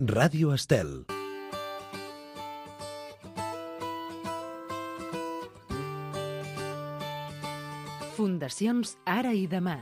Ràdio Estel. Fundacions Ara i Demà.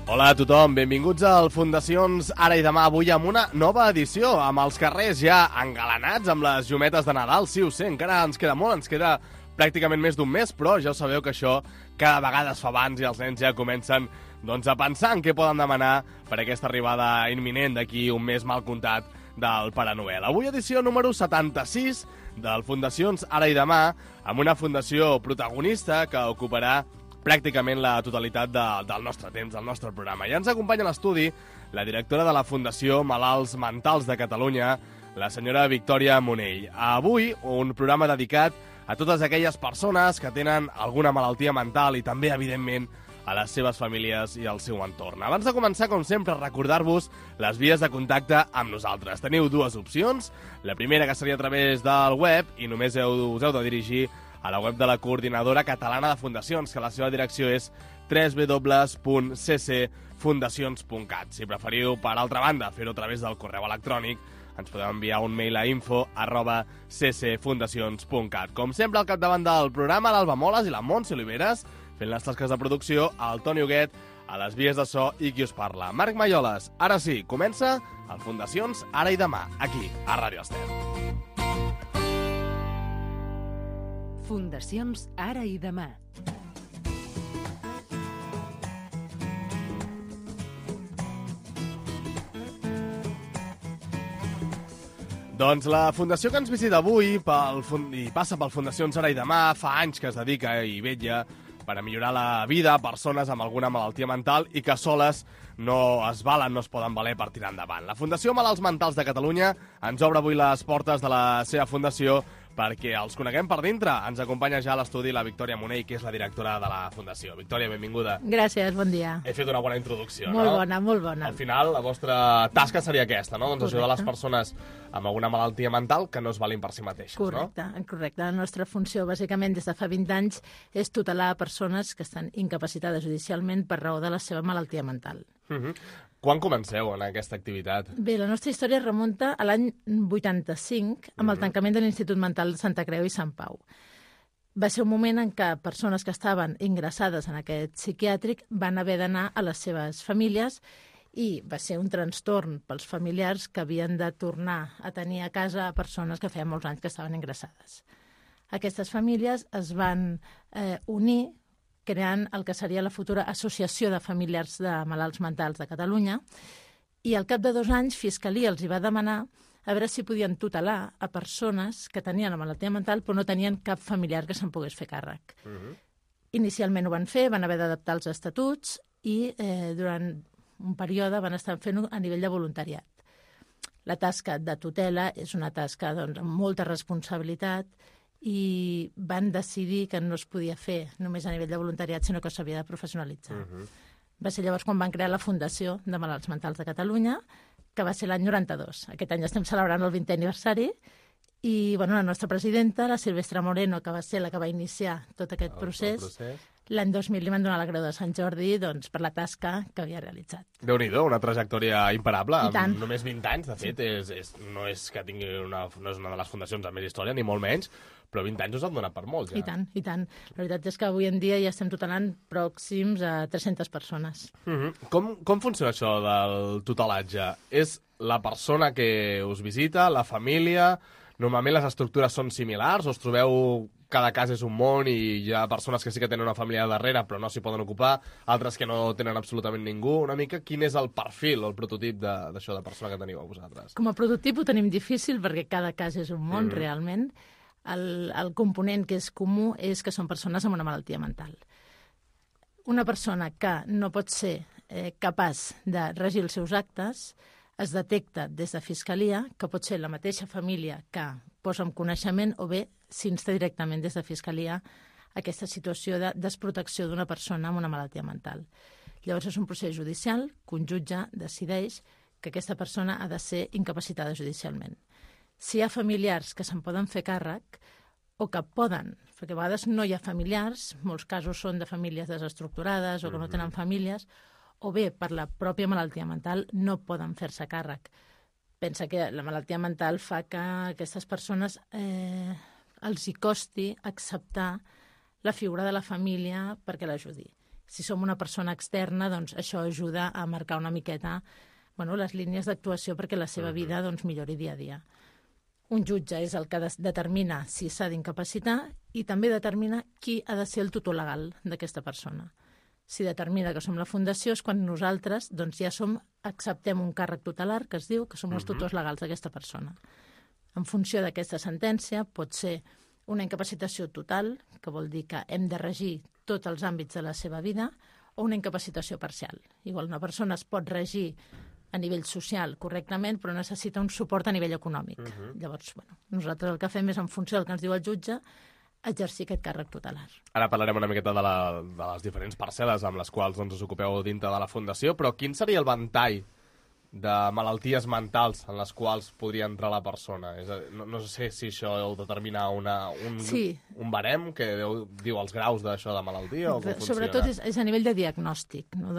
Hola a tothom, benvinguts al Fundacions Ara i Demà, avui amb una nova edició, amb els carrers ja engalanats amb les llumetes de Nadal. Sí, ho sé, encara ens queda molt, ens queda pràcticament més d'un mes, però ja ho sabeu que això cada vegada es fa abans i els nens ja comencen a pensar en què poden demanar per aquesta arribada imminent d'aquí un mes mal comptat del Pare Noel. Avui edició número 76 del Fundacions Ara i Demà, amb una fundació protagonista que ocuparà pràcticament la totalitat del nostre temps, del nostre programa. Ja ens acompanya a l'estudi la directora de la Fundació Malalts Mentals de Catalunya, la senyora Victòria Monell. Avui, un programa dedicat a totes aquelles persones que tenen alguna malaltia mental i també, evidentment, a les seves famílies i al seu entorn. Abans de començar, com sempre, recordar-vos les vies de contacte amb nosaltres. Teniu dues opcions. La primera, que seria a través del web, i només us heu de dirigir a la web de la Coordinadora Catalana de Fundacions, que la seva direcció és www.ccfundacions.cat. Si preferiu, per altra banda, fer-ho a través del correu electrònic, ens podeu enviar un mail a info@ccfundacions.cat. Com sempre, al capdavant del programa, l'Alba Moles i la Montse Oliveres, fent les tasques de producció, el Toni Huguet, a les vies de so i qui us parla, Marc Malloles. Ara sí, comença el Fundacions Ara i Demà, aquí, a Ràdio Estel. Fundacions Ara i Demà. Doncs la fundació que ens visita avui i passa pel Fundacions Ara i Demà fa anys que es dedica i vetlla per a millorar la vida a persones amb alguna malaltia mental i que soles no es valen, no es poden valer per tirar endavant. La Fundació Malalts Mentals de Catalunya ens obre avui les portes de la seva fundació perquè els coneguem per dintre. Ens acompanya ja a l'estudi la Victòria Monell, que és la directora de la Fundació. Victòria, benvinguda. Gràcies, bon dia. He fet una bona introducció, molt no? Bona, molt bona. Al final, la vostra tasca seria aquesta, no? Doncs ajudar les persones amb alguna malaltia mental que no es valin per si mateixes, correcte, no? Correcte. La nostra funció, bàsicament, des de fa 20 anys, és tutelar persones que estan incapacitades judicialment per raó de la seva malaltia mental. Quan comenceu en aquesta activitat? Bé, la nostra història remunta a l'any 85, amb el tancament de l'Institut Mental de Santa Creu i Sant Pau. Va ser un moment en què persones que estaven ingressades en aquest psiquiàtric van haver d'anar a les seves famílies i va ser un trastorn pels familiars que havien de tornar a tenir a casa a persones que feia molts anys que estaven ingressades. Aquestes famílies es van unir creant el que seria la futura Associació de Familiars de Malalts Mentals de Catalunya, i al cap de 2 anys Fiscalia els hi va demanar a veure si podien tutelar a persones que tenien la malaltia mental però no tenien cap familiar que se'n pogués fer càrrec. Inicialment ho van fer, van haver d'adaptar els estatuts i durant un període van estar fent-ho a nivell de voluntariat. La tasca de tutela és una tasca amb molta responsabilitat i van decidir que no es podia fer només a nivell de voluntariat, sinó que s'havia de professionalitzar. Va ser llavors quan van crear la Fundació de Malalts Mentals de Catalunya, que va ser l'any 92. Aquest any estem celebrant el 20è aniversari i la nostra presidenta, la Silvestre Moreno, que va ser la que va iniciar tot aquest procés, l'any 2000 li van donar la Creu de Sant Jordi per la tasca que havia realitzat. Déu-n'hi-do, una trajectòria imparable. I tant. Amb només 20 anys, de fet, no és que tingui no és una de les fundacions amb més història, ni molt menys, però 20 anys us han donat per molts, ja. I tant, i tant. La veritat és que avui en dia ja estem tutelant pròxims a 300 persones. Com funciona això del tutelatge? És la persona que us visita, la família? Normalment les estructures són similars o us trobeu cada cas és un món i hi ha persones que sí que tenen una família darrere però no s'hi poden ocupar, altres que no tenen absolutament ningú? Una mica quin és el perfil o el prototip d'això de persona que teniu a vosaltres? Com a prototip ho tenim difícil perquè cada cas és un món realment. El component que és comú és que són persones amb una malaltia mental. Una persona que no pot ser capaç de regir els seus actes es detecta des de Fiscalia, que pot ser la mateixa família que posa en coneixement o bé s'insta directament des de Fiscalia aquesta situació de desprotecció d'una persona amb una malaltia mental. Llavors és un procés judicial que un jutge decideix que aquesta persona ha de ser incapacitada judicialment. Si hi ha familiars que se'n poden fer càrrec o que poden perquè a vegades no hi ha familiars, molts casos són de famílies desestructurades o que no tenen famílies, o bé, per la pròpia malaltia mental, no poden fer-se càrrec. Pensa que la malaltia mental fa que a aquestes persones els hi costi acceptar la figura de la família perquè l'ajudi. Si som una persona externa, doncs això ajuda a marcar una miqueta les línies d'actuació perquè la seva vida millori dia a dia. Un jutge és el que determina si s'ha d'incapacitar i també determina qui ha de ser el tutor legal d'aquesta persona. Si determina que som la fundació és quan nosaltres ja acceptem un càrrec tutelar que es diu que som els tutors legals d'aquesta persona. En funció d'aquesta sentència pot ser una incapacitació total, que vol dir que hem de regir tots els àmbits de la seva vida, o una incapacitació parcial. Igual una persona es pot regir a nivell social correctament, però necessita un suport a nivell econòmic. Llavors, nosaltres el que fem és, en funció del que ens diu el jutge, exercir aquest càrrec tutelar. Ara parlarem una miqueta de les diferents parcel·les amb les quals us ocupeu dintre de la Fundació, però quin seria el ventall de malalties mentals en les quals podria entrar la persona? No sé si això heu de determinar un barem que diu els graus d'això de malaltia o com funciona? Sobretot és a nivell de diagnòstic, no?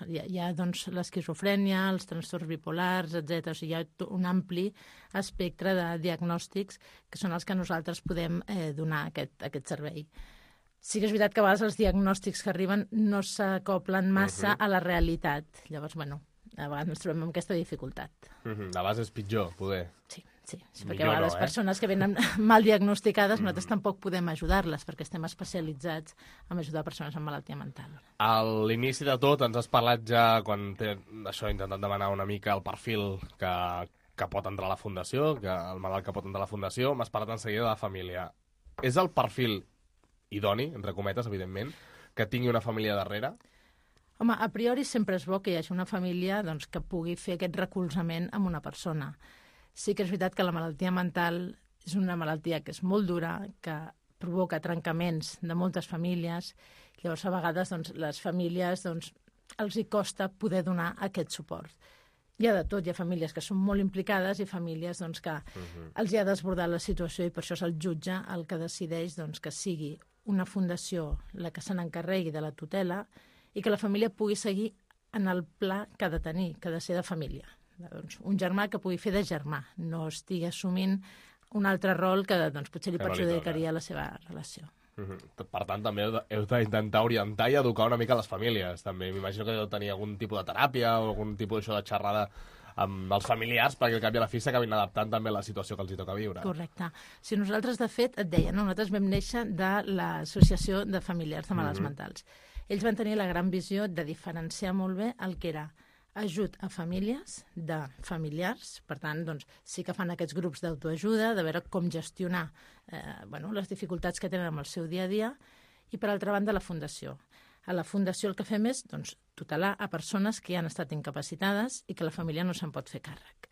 Hi ha l'esquizofrènia, els trastorns bipolars, etc. O sigui, hi ha un ampli espectre de diagnòstics que són els que nosaltres podem donar aquest servei. Sí que és veritat que a vegades els diagnòstics que arriben no s'acoplen massa a la realitat. Llavors, a vegades ens trobem amb aquesta dificultat. La base és pitjor, poder. Sí, perquè a vegades persones que venen mal diagnosticades nosaltres tampoc podem ajudar-les perquè estem especialitzats en ajudar persones amb malaltia mental. A l'inici de tot ens has parlat ja, quan això intentat demanar una mica el perfil que pot entrar a la Fundació, el malalt que pot entrar a la Fundació, m'has parlat en seguida de la família. És el perfil idoni, entre cometes, evidentment, que tingui una família darrere? Home, a priori sempre és bo que hi hagi una família que pugui fer aquest recolzament amb una persona. Sí que és veritat que la malaltia mental és una malaltia que és molt dura, que provoca trencaments de moltes famílies. Llavors, a vegades, les famílies els hi costa poder donar aquest suport. Hi ha de tot, hi ha famílies que són molt implicades i famílies que els hi ha desbordat la situació i per això és el jutge el que decideix que sigui una fundació la que se n'encarregui de la tutela i que la família pugui seguir en el pla que ha de tenir, que ha de ser de família. Un germà que pugui fer de germà, no estigui assumint un altre rol que potser li perjudicaria la seva relació. Per tant, també heu d'intentar orientar i educar una mica les famílies. També m'imagino que heu de tenir algun tipus de teràpia o algun tipus de xerrada amb els familiars perquè al cap i a la fi s'acabin adaptant també a la situació que els hi toca viure. Correcte. Si nosaltres, de fet, et deia, nosaltres vam néixer de l'Associació de Familiars de Malalts Mentals. Ells van tenir la gran visió de diferenciar molt bé el que era ajut a famílies de familiars, per tant, sí que fan aquests grups d'autoajuda, de veure com gestionar les dificultats que tenen amb el seu dia a dia, i per altra banda la Fundació. A la Fundació el que fem és tutelar a persones que ja han estat incapacitades i que la família no se'n pot fer càrrec.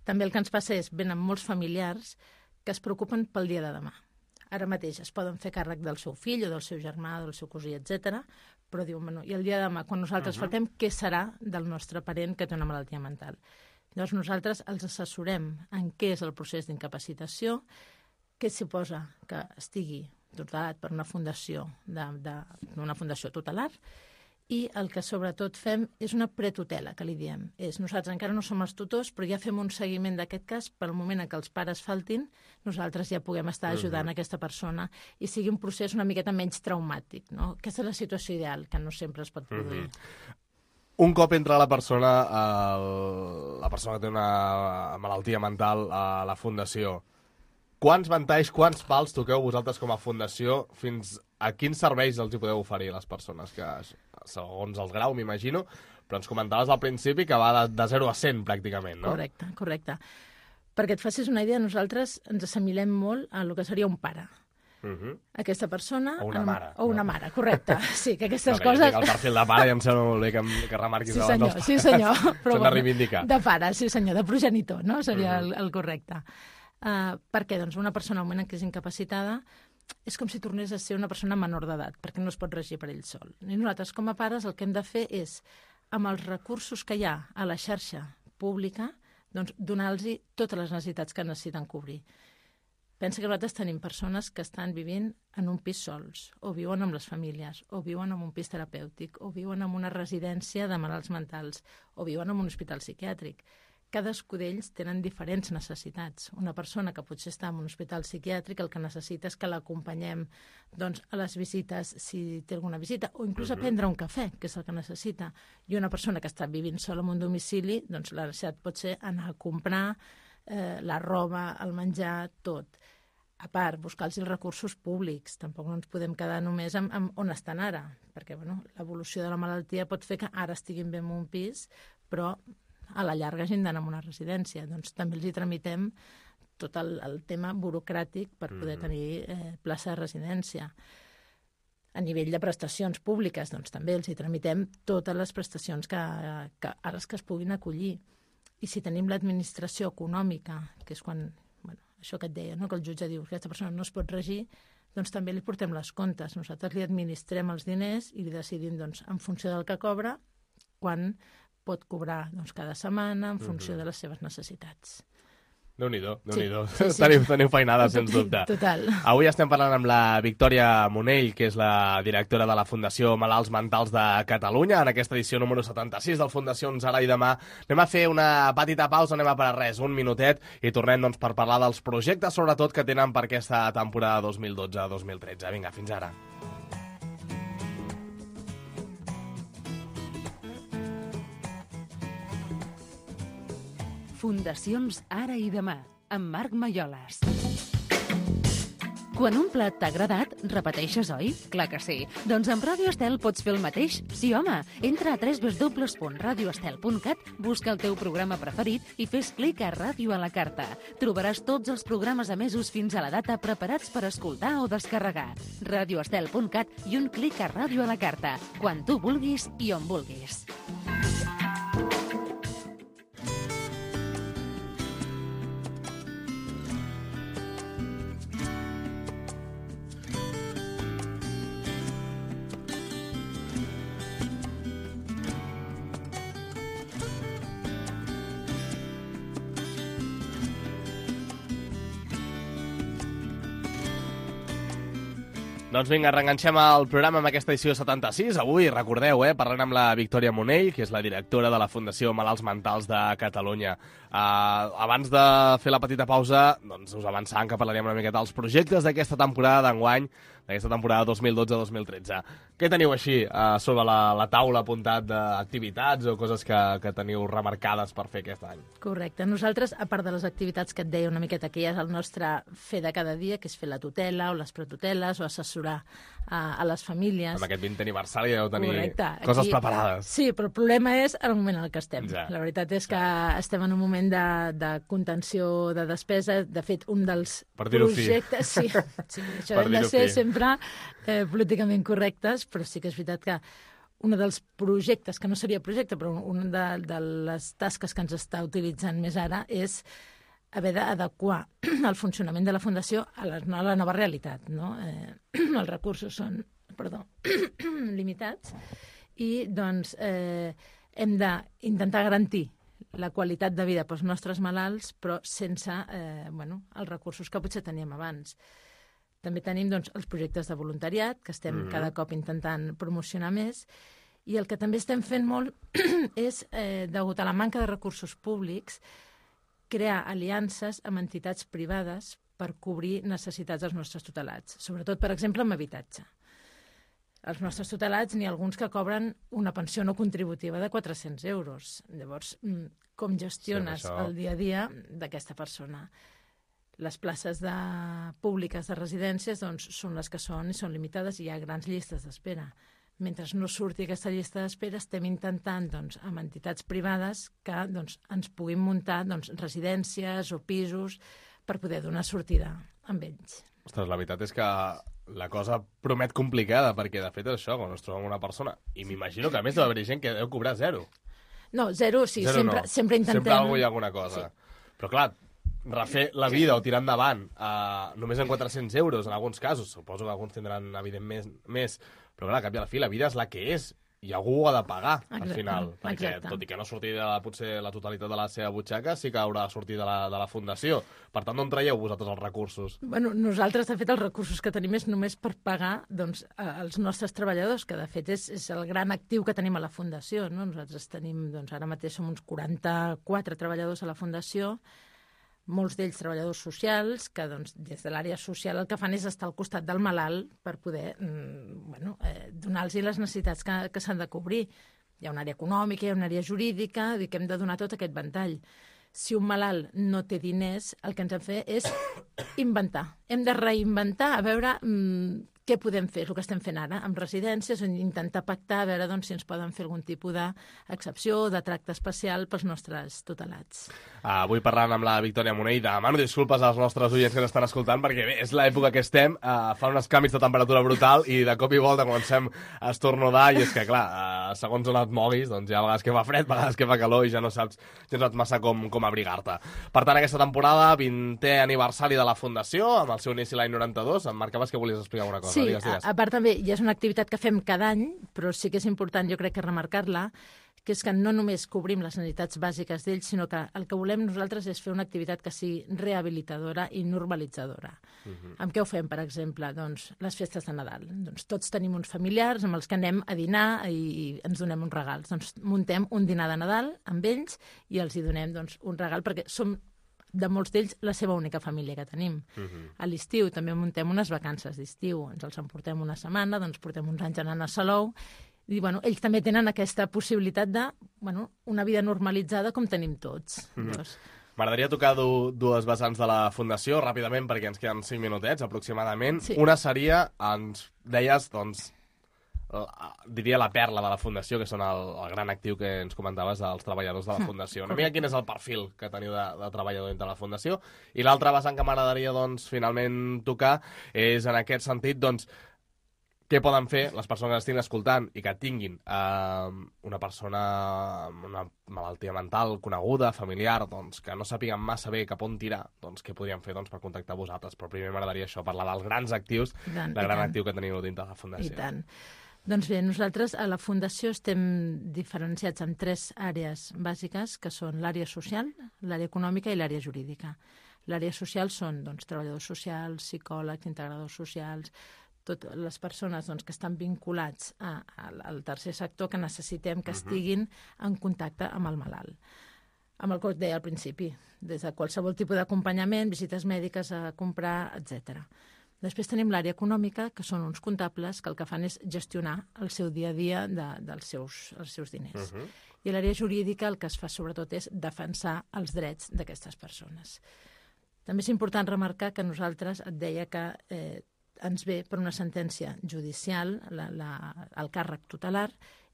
També el que ens passa és, venen molts familiars que es preocupen pel dia de demà. Ara mateix es poden fer càrrec del seu fill o del seu germà, del seu cosí, etc. Però diuen, i el dia de demà, quan nosaltres faltem, què serà del nostre parent que té una malaltia mental? Llavors nosaltres els assessorem en què és el procés d'incapacitació, què suposa que estigui tutelat per una fundació, una fundació tutelar, i el que sobretot fem és una pretutela, que li diem. Nosaltres encara no som els tutors, però ja fem un seguiment d'aquest cas per al moment en què els pares faltin, nosaltres ja puguem estar ajudant aquesta persona i sigui un procés una miqueta menys traumàtic. No? Aquesta és la situació ideal, que no sempre es pot produir. Un cop entra la persona que té una malaltia mental a la Fundació, quants ventalls, quants pals toqueu vosaltres com a Fundació, fins a quins serveis els hi podeu oferir a les persones que, segons el grau, m'imagino, però ens comentaves al principi que va de 0 a 100 pràcticament, no? Correcte. Perquè et facis una idea, nosaltres ens assimilem molt a el que seria un pare. Aquesta persona... O una mare. O una mare, correcte. Sí, que aquestes coses... El perfil de pare ja em sembla molt bé que remarquis abans. Sí, senyor. S'han de reivindicar. De pare, sí senyor, de progenitor, no? Seria el correcte. Per què? Doncs una persona al moment en què és incapacitada és com si tornés a ser una persona menor d'edat, perquè no es pot regir per ell sol. I nosaltres, com a pares, el que hem de fer és, amb els recursos que hi ha a la xarxa pública, doncs donar-los totes les necessitats que necessiten cobrir. Pensa que nosaltres tenim persones que estan vivint en un pis sols, o viuen amb les famílies, o viuen en un pis terapèutic, o viuen en una residència de malalts mentals, o viuen en un hospital psiquiàtric. Cadascú d'ells tenen diferents necessitats. Una persona que potser està en un hospital psiquiàtric el que necessita és que l'acompanyem doncs, a les visites, si té alguna visita, o inclús a prendre un cafè, que és el que necessita. I una persona que està vivint sola en un domicili, doncs la necessitat pot ser anar a comprar la roba, el menjar, tot. A part, buscar-los els recursos públics. Tampoc no ens podem quedar només amb on estan ara, perquè l'evolució de la malaltia pot fer que ara estiguin bé en un pis, però a la llarga hagin d'anar a una residència. Doncs també els hi tramitem tot el tema burocràtic per poder tenir plaça de residència. A nivell de prestacions públiques, doncs també els hi tramitem totes les prestacions a les que es puguin acollir. I si tenim l'administració econòmica, que és quan, això que et deia, no? Que el jutge diu que aquesta persona no es pot regir, doncs també li portem les comptes. Nosaltres li administrem els diners i li decidim, doncs, en funció del que cobra, quan pot cobrar cada setmana en funció de les seves necessitats. Déu-n'hi-do, Déu-n'hi-do. Sí. Teniu feinada, sens dubte. Total. Avui estem parlant amb la Victòria Monell, que és la directora de la Fundació Malalts Mentals de Catalunya, en aquesta edició número 76 del Fundacions Ara i Demà. Anem a fer una petita pausa, anem a parar res, un minutet, i tornem per parlar dels projectes, sobretot, que tenen per aquesta temporada 2012-2013. Vinga, fins ara. Fundacions Ara i Demà, amb Marc Malloles. Quan un plat t'ha agradat, repeteixes, oi? Clar que sí. Doncs amb Ràdio Estel pots fer el mateix? Sí, home. Entra a www.radioestel.cat, busca el teu programa preferit i fes clic a Ràdio a la carta. Trobaràs tots els programes emesos fins a la data preparats per escoltar o descarregar. radioestel.cat i un clic a Ràdio a la carta, quan tu vulguis i on vulguis. Doncs vinga, reenganxem el programa amb aquesta edició 76. Avui, recordeu, parlant amb la Victòria Monell, que és la directora de la Fundació Malalts Mentals de Catalunya. Abans de fer la petita pausa, doncs us avançàvem que parlaríem una miqueta dels projectes d'aquesta temporada d'enguany, d'aquesta temporada 2012-2013. Què teniu així sobre la taula apuntat d'activitats o coses que teniu remarcades per fer aquest any? Correcte. Nosaltres, a part de les activitats que et deia una miqueta, que ja és el nostre fer de cada dia, que és fer la tutela o les pretuteles o assessorar a les famílies. Amb aquest 20 aniversari deu tenir coses aquí, preparades. Sí, però el problema és el moment en què estem. Ja. La veritat és que estem en un moment de contenció de despesa. De fet, un dels projectes... Sí, això hem de ser sempre políticament correctes, però sí que és veritat que un dels projectes, que no seria projecte, però una de les tasques que ens està utilitzant més ara és haver d'adequar el funcionament de la Fundació a la nova realitat. No? Els recursos són limitats i doncs, hem d'intentar garantir la qualitat de vida pels nostres malalts, però sense els recursos que potser teníem abans. També tenim doncs, els projectes de voluntariat, que estem cada cop intentant promocionar més, i el que també estem fent molt és, degut a la manca de recursos públics, crear aliances amb entitats privades per cobrir necessitats dels nostres tutelats, sobretot, per exemple, amb habitatge. Els nostres tutelats n'hi ha alguns que cobren una pensió no contributiva de 400 euros. Llavors, com gestiones el dia a dia d'aquesta persona? Les places públiques de residències doncs, són les que són i són limitades i hi ha grans llistes d'espera. Mentre no surti aquesta llista d'espera, estem intentant, doncs, amb entitats privades que doncs, ens puguin muntar residències o pisos per poder donar sortida amb ells. Ostres, la veritat és que la cosa promet complicada, perquè de fet és això, quan ens trobem una persona, i m'imagino que a més deu haver gent que deu cobrar zero. No, zero sí, sempre intentem... Sempre hi ha alguna cosa. Sí. Però clar, refer la vida o tirar endavant només en 400 euros, en alguns casos, suposo que alguns tindran evidentment més, però clar, al cap i a la fi la vida és la que és, i algú ho ha de pagar, al Exacte, final. Perquè, exacte. tot i que no surti potser la totalitat de la seva butxaca, sí que haurà de sortir de la fundació. Per tant, d'on traieu vosaltres els recursos? Bueno, nosaltres, de fet, els recursos que tenim és només per pagar doncs, els nostres treballadors, que de fet és el gran actiu que tenim a la Fundació. No? Nosaltres tenim, doncs, ara mateix som uns 44 treballadors a la Fundació, molts d'ells treballadors socials, que doncs, des de l'àrea social el que fan és estar al costat del malalt per poder donar-los les necessitats que s'han de cobrir. Hi ha una àrea econòmica, hi ha una àrea jurídica, que hem de donar tot aquest ventall. Si un malalt no té diners, el que ens hem de fer és inventar. Hem de reinventar, a veure què podem fer, és el que estem fent ara, amb residències, intentar pactar, a veure doncs, si ens poden fer algun tipus d'excepció o de tracte especial pels nostres tutelats. Avui parlant amb la Victòria Monell, demano disculpes als nostres oients que ens estan escoltant, perquè bé, és l'època que estem, fa uns canvis de temperatura brutal i de cop i volta comencem a estornudar, i és que, clar, segons on et moguis, doncs hi ha vegades que fa fred, vegades que fa calor i ja no saps massa com abrigar-te. Per tant, aquesta temporada, 20è aniversari de la Fundació, amb el seu inici l'any 92, em marcaves que volies explicar alguna cosa. Sí, digues. a part també ja és una activitat que fem cada any, però sí que és important, jo crec que remarcar-la, que és que no només cobrim les necessitats bàsiques d'ells, sinó que el que volem nosaltres és fer una activitat que sigui rehabilitadora i normalitzadora. Amb què ho fem, per exemple? Doncs les festes de Nadal. Doncs tots tenim uns familiars amb els que anem a dinar i ens donem uns regals. Doncs muntem un dinar de Nadal amb ells i els hi donem doncs, un regal, perquè som de molts d'ells la seva única família que tenim. A l'estiu també muntem unes vacances d'estiu, ens els emportem una setmana, doncs portem uns anys anant a Salou, i bueno, ells també tenen aquesta possibilitat de una vida normalitzada com tenim tots. M'agradaria tocar dues vessants de la Fundació, ràpidament, perquè ens queden 5 minutets, aproximadament. Sí. Una seria, ens deies, doncs, diria la perla de la Fundació, que són el gran actiu que ens comentaves dels treballadors de la Fundació. Una mica quin és el perfil que teniu de treballador dintre la Fundació. I l'altra vessant que m'agradaria, doncs, finalment tocar és, en aquest sentit, doncs, què poden fer les persones que estiguin escoltant i que tinguin una persona amb una malaltia mental coneguda, familiar, doncs, que no sàpiguen massa bé cap on tirar, doncs què podrien fer per contactar amb vosaltres? Però primer m'agradaria això, parlar dels grans actius, del gran actiu que teniu dintre de la Fundació. I tant. Doncs bé, nosaltres a la Fundació estem diferenciats en 3 àrees bàsiques, que són l'àrea social, l'àrea econòmica i l'àrea jurídica. L'àrea social són treballadors socials, psicòlegs, integradors socials, totes les persones que estan vinculats al tercer sector que necessitem que estiguin en contacte amb el malalt. Amb el que us deia al principi, des de qualsevol tipus d'acompanyament, visites mèdiques a comprar, etc. Després tenim l'àrea econòmica, que són uns comptables que el que fan és gestionar el seu dia a dia dels seus diners. I l'àrea jurídica el que es fa sobretot és defensar els drets d'aquestes persones. També és important remarcar que nosaltres, et deia que ens ve per una sentència judicial el càrrec tutelar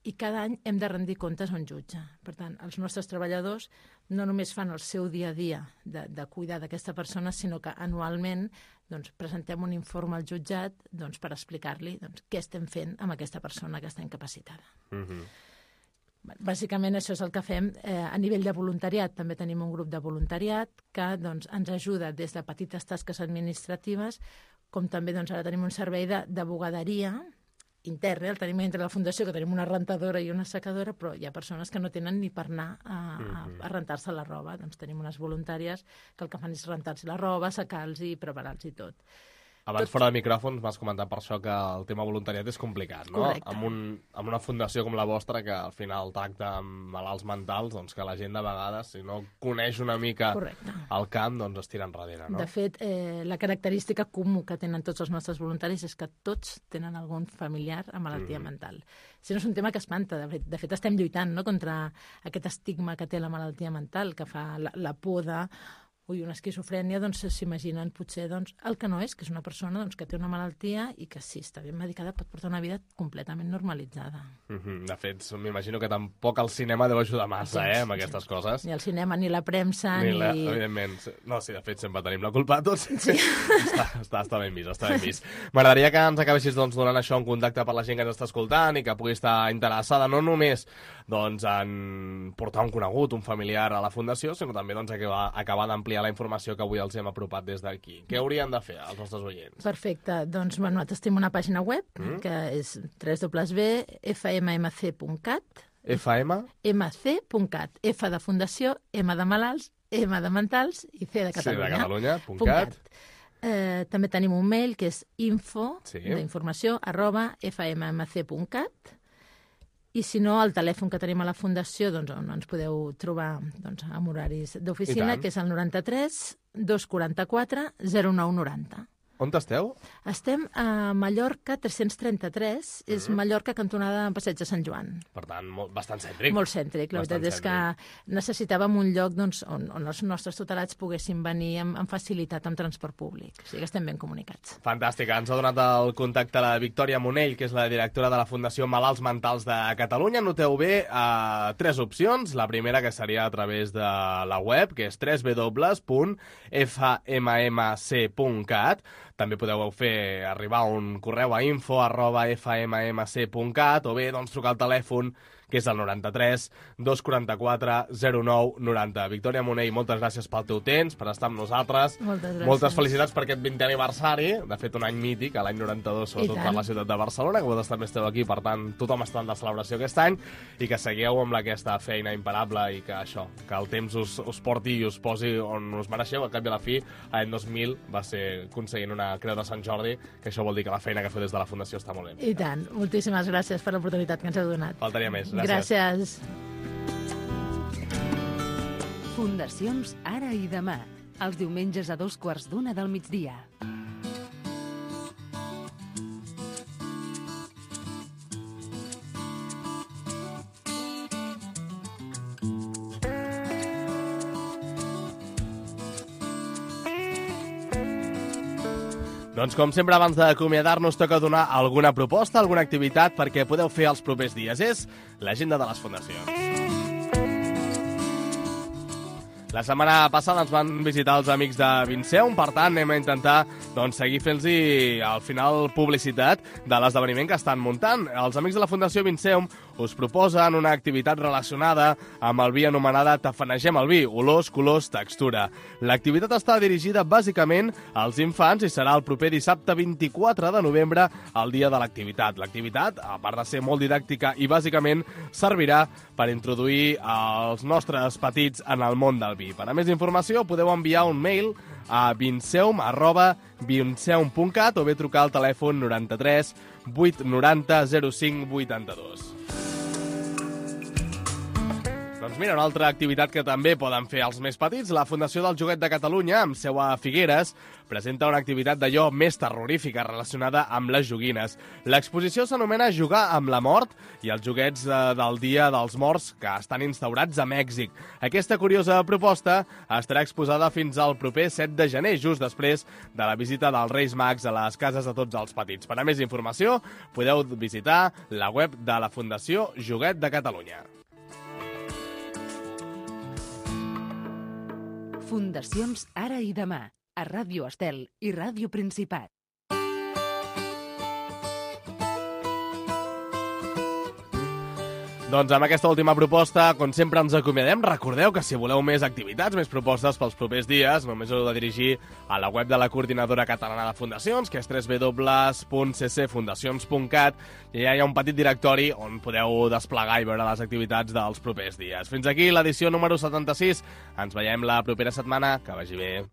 i cada any hem de rendir comptes a un jutge. Per tant, els nostres treballadors no només fan el seu dia a dia de cuidar d'aquesta persona, sinó que anualment presentem un informe al jutjat per explicar-li què estem fent amb aquesta persona que està incapacitada. Bàsicament això és el que fem a nivell de voluntariat. També tenim un grup de voluntariat que ens ajuda des de petites tasques administratives, com també ara tenim un servei de bugaderia intern, el tenim entre la Fundació, que tenim una rentadora i una secadora, però hi ha persones que no tenen ni per anar a rentar-se la roba. Doncs tenim unes voluntàries que el que fan és rentar-se la roba, secar-los i preparar-los i tot. Abans, fora de micròfons, m'has comentat per això que el tema voluntariat és complicat, no? Correcte. Amb una fundació com la vostra, que al final tracta amb malalts mentals, doncs que la gent de vegades, si no coneix una mica el camp, doncs es tira enrere, no? De fet, la característica comú que tenen tots els nostres voluntaris és que tots tenen algun familiar amb malaltia mental. Si no és un tema que espanta, de fet estem lluitant contra aquest estigma que té la malaltia mental, que fa la por de una esquizofrènia, s'imaginen potser el que no és, que és una persona que té una malaltia i que si està ben medicada pot portar una vida completament normalitzada. De fet, m'imagino que tampoc el cinema deu ajudar massa, amb aquestes coses. Ni el cinema, ni la premsa, ni... Evidentment. No, sí, de fet, sempre tenim la culpa a tots. Està ben vist, està ben vist. M'agradaria que ens acabessis donant això en contacte per la gent que ens està escoltant i que pugui estar interessada no només en portar un conegut, un familiar a la Fundació, sinó també acabar d'ampliar ampliar la informació que avui els hem apropat des d'aquí. Què haurien de fer els nostres oients? Perfecte. Doncs, nosaltres tenim una pàgina web que és www.fmmc.cat. mc.cat. F de fundació, M de malalts, M de mentals i C de Catalunya. .cat. També tenim un mail que és d'informació @fmmc.cat. I si no, el telèfon que tenim a la Fundació, doncs, on ens podeu trobar amb horaris d'oficina, que és el 93 244 0990. On esteu? Estem a Mallorca 333, és Mallorca cantonada en Passeig de Sant Joan. Per tant, bastant cèntric. Molt cèntric. La veritat és que necessitàvem un lloc on els nostres tutelats poguessin venir amb facilitat amb transport públic. O sigui que estem ben comunicats. Fantàstic. Ens ha donat el contacte la Victòria Monell, que és la directora de la Fundació Malalts Mentals de Catalunya. Noteu bé 3 opcions. La primera, que seria a través de la web, que és www.fmmc.cat. També podeu fer arribar un correu a info@fmmc.cat o bé trucar al telèfon, que és el 93 244 0990. Victòria Monell, moltes gràcies pel teu temps, per estar amb nosaltres. Moltes gràcies. Moltes felicitats per aquest 20è aniversari, de fet un any mític, l'any 92, sobretot per la ciutat de Barcelona, que vosaltres també esteu aquí, per tant, tothom està en la celebració aquest any, i que seguiu amb aquesta feina imparable i que això, que el temps us porti i us posi on us mereixeu. Al cap i a la fi, l'any 2000 va ser aconseguint una Creu de Sant Jordi, que això vol dir que la feina que feu des de la Fundació està molt bé. I tant. Moltíssimes gràcies per l'oportunitat que ens heu donat. Faltaria més. Gràcies. Fundacions Ara i Demà, els diumenges a 2:15 del migdia. Doncs com sempre, abans d'acomiadar-nos, toca donar alguna proposta, alguna activitat perquè podeu fer els propers dies. És l'agenda de les fundacions. La setmana passada ens van visitar els amics de Vinceum, per tant anem a intentar seguir fent-los al final publicitat de l'esdeveniment que estan muntant. Els amics de la Fundació Vinceum us proposen una activitat relacionada amb el vi anomenada Tafanegem el vi, olors, colors, textura. L'activitat està dirigida bàsicament als infants i serà el proper dissabte 24 de novembre, el dia de l'activitat. L'activitat, a part de ser molt didàctica i bàsicament, servirà per introduir els nostres petits en el món del vi. Per a més informació podeu enviar un mail a vinceum@vinceum.cat o bé trucar al telèfon 93 890 05 82. Doncs mira, una altra activitat que també poden fer els més petits. La Fundació del Joguet de Catalunya, amb seu a Figueres, presenta una activitat d'allò més terrorífica relacionada amb les joguines. L'exposició s'anomena Jugar amb la mort i els joguets del Dia dels Morts que estan instaurats a Mèxic. Aquesta curiosa proposta estarà exposada fins al proper 7 de gener, just després de la visita dels Reis Mags a les cases de tots els petits. Per a més informació, podeu visitar la web de la Fundació Joguet de Catalunya. Fundacions Ara i Demà, a Ràdio Estel i Ràdio Principat. Doncs amb aquesta última proposta, com sempre ens acomiadem. Recordeu que si voleu més activitats, més propostes pels propers dies, només heu de dirigir a la web de la Coordinadora Catalana de Fundacions, que és www.ccfundacions.cat, i allà hi ha un petit directori on podeu desplegar i veure les activitats dels propers dies. Fins aquí l'edició número 76. Ens veiem la propera setmana. Que vagi bé.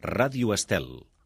Ràdio Estel.